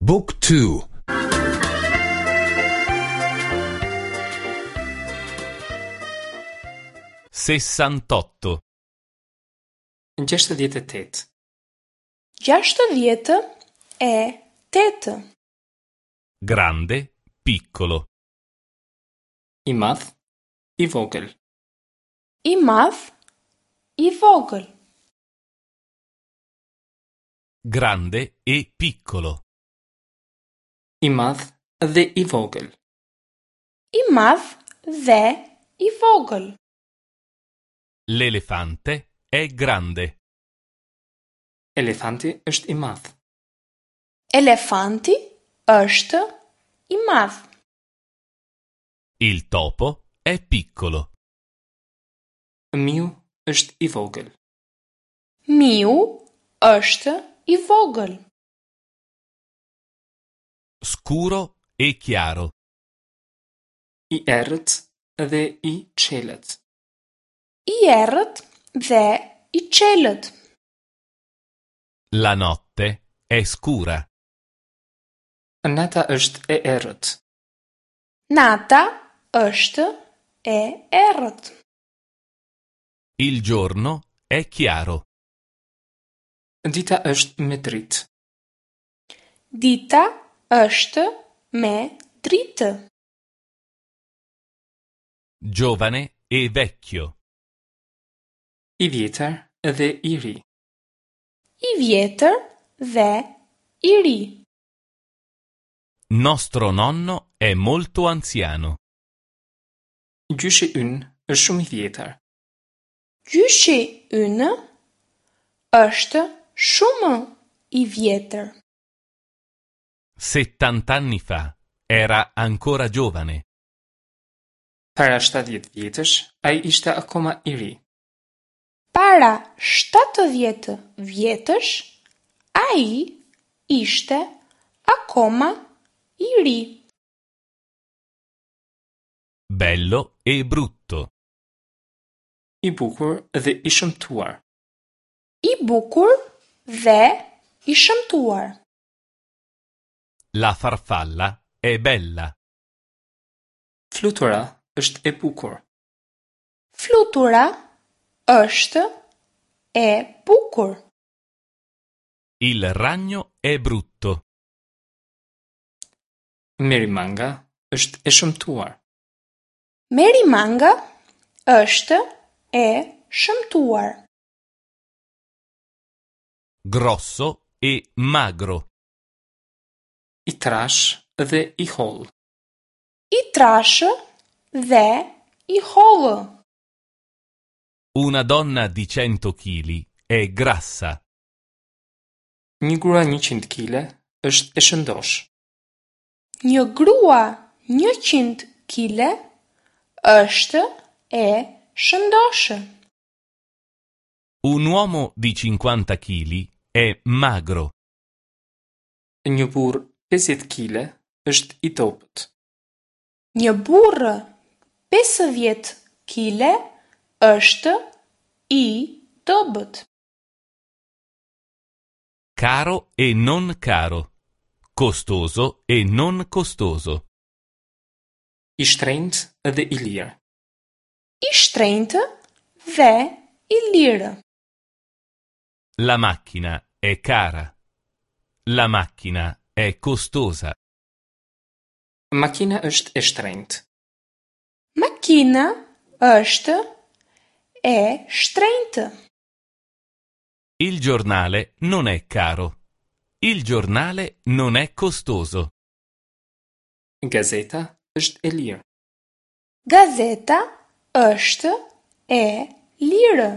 บุ๊กทู 68. 68. 68. Grande, piccolo. I madh, i vogël. I madh, i vogël. Grande e piccolo. I madh dhe i vogël. I madh dhe i vogël. L'elefante è grande. Elefanti është i madh. Elefanti është i madh. Il topo è piccolo. Miu është i vogël. Miu është i vogël. Scuro e chiaro. I errët dhe i çelët. I errët dhe i çelët. La notte è scura. Nata është e errët. Nata është e errët. Il giorno è chiaro. Dita është me dritë. Dita është me dritë. Giovane e vecchio. I vjetër dhe i ri. I vjetër dhe i ri. Nostro nonno è molto anziano. Gjyshi ynë është shumë i vjetër. Gjyshi ynë është shumë i vjetër. Settant'anni fa era ancora giovane. Para 70 vjetësh, ai ishte akoma i ri. Para 70 vjetësh, ai ishte akoma i ri. Bello e brutto. I bukur dhe i shëmtuar. I bukur dhe i shëmtuar. La farfalla è bella. Flutura është e bukur. Flutura është e bukur. Il ragno è brutto. Merimanga është e shëmtuar. Merimanga është e shëmtuar. Grosso e magro. I trash dhe i hollë. I trashë dhe i hollë. Una donna di 100 chili è grassa. Një grua 100 kile është e shëndosh. Një grua 100 kile është e shëndoshë. Un uomo di 50 chili è magro. Një burr 50 kile është i dobët. Një burrë 50 kile është i dobët. Caro e non caro. Costoso e non costoso. I shtrenjtë dhe i lirë. I shtrenjtë dhe i lirë. La macchina è cara. La macchina è costosa. Makina është e shtrenjtë. Makina është e shtrenjtë. Il giornale non è caro. Il giornale non è costoso. Gazeta është e lirë. Gazeta është e lirë.